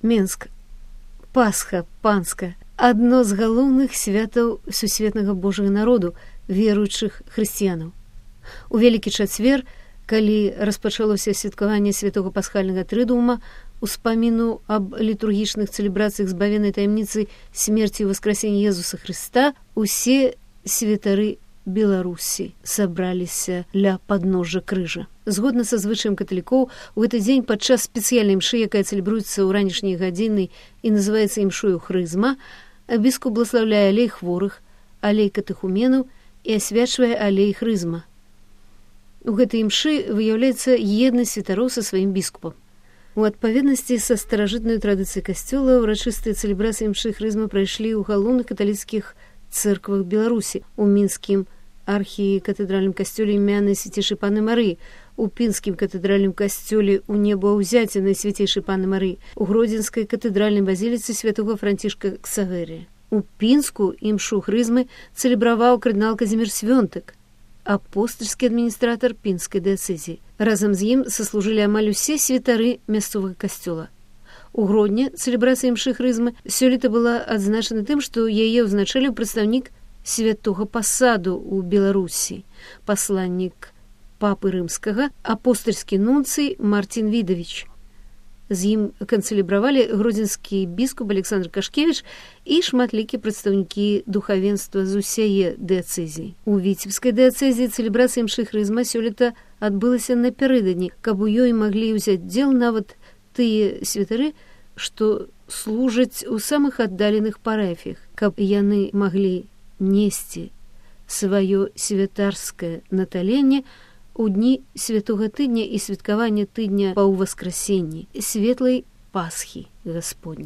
Менск. Пасха панская. Адно з галоўных святаў сусветнага Божага народу, веруючых хрысціянаў. У Вялікі чацвер, калі распачалося святкаванне святого пасхальнага трыдума, успаміну аб літургічных цэлебрацыях збавенай таямніцы смерці і васкрасення Езуса Хрыста, усе святары Беларусі сабраліся ля падножжа крыжа. Згодна са звычаем каталікоў, у гэты дзень падчас спецыяльнай імшы, якая цэлебруецца ў ранішнія гадзіны і называецца імшою хрызма, біскуп бласлаўляе алей хворых, алей катэхуменаў і асвячвае алей хрызма. У гэтай імшы выяўляецца еднасць святароў са сваім біскупам. У адпаведнасці са старажытнай традыцыяй касцёла ўрачыстыя цэлебрацыі імшы хрызма прайшлі ў галоўных каталіцкіх цэрквах Беларусі, у мінскім архікатэдральным касцёле імянай свяцейшай Панны Марыі, у пінскім катэдральным касцёле ў небаўзяценай свяцейшай Панны Марыі, у гродзенскай катэдральнай базіліцы святога Францішка Ксаверія. У Пінску імшу хрызмы цэлебраваў кардынал Казімір Свёнтык, апостальскі адміністратар пінскай дыяцэзіі. Разам з ім саслужылі амаль усе святары мясцовага касцёла. У Гродні цэлебрацыя імшы хрызмы сёлета была адзначана тым, што яе ўзначаліў прадстаўнік святога пасаду ў Беларусі, пасланнік папы рымскага, апостальскі нунцый Мартін Відавіч. З ім канцэлебравалі гродзенскі біскуп Александр Кашкевіч і шматлікія прадстаўнікі духавенства з усяе дыяцэзіі. У Віцебскай дыяцэзіі цэлебрацыя імшы хрызма сёлета адбылася напярэдадні, каб у ёй маглі ўзяць удзел нават тыя святары, што служаць у самых аддаленых парафіях, каб яны маглі несці сваё святарскае наталенне у дні святога тыдня і святкавання тыдня па ўваскрасенні, светлай Пасхі Гасподняй.